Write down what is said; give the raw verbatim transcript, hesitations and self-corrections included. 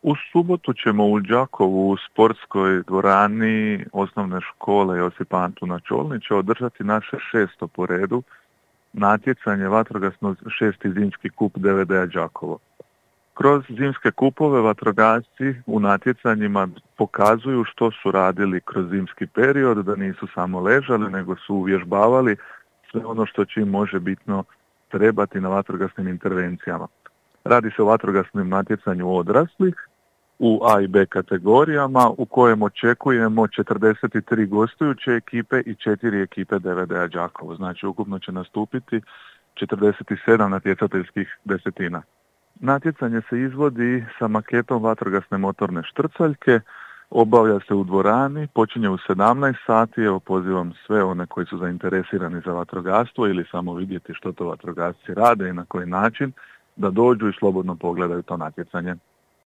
U subotu ćemo u Đakovu u sportskoj dvorani osnovne škole Josip Antuna Čolnića održati naše šesto po redu natjecanje vatrogasno šesti zimski kup D V D-a Đakovo. Kroz zimske kupove vatrogasci u natjecanjima pokazuju što su radili kroz zimski period, da nisu samo ležali, nego su uvježbavali sve ono što će im može bitno trebati na vatrogasnim intervencijama. Radi se o vatrogasnom natjecanju odraslih u A i B kategorijama u kojem očekujemo četrdeset tri gostujuće ekipe i četiri ekipe D V D-a Đakovo. Znači ukupno će nastupiti četrdeset sedam natjecateljskih desetina. Natjecanje se izvodi sa maketom vatrogasne motorne štrcaljke, obavlja se u dvorani, počinje u sedamnaest sati, evo pozivam sve one koji su zainteresirani za vatrogastvo ili samo vidjeti što to vatrogasci rade i na koji način, da dođu i slobodno pogledaju to natjecanje.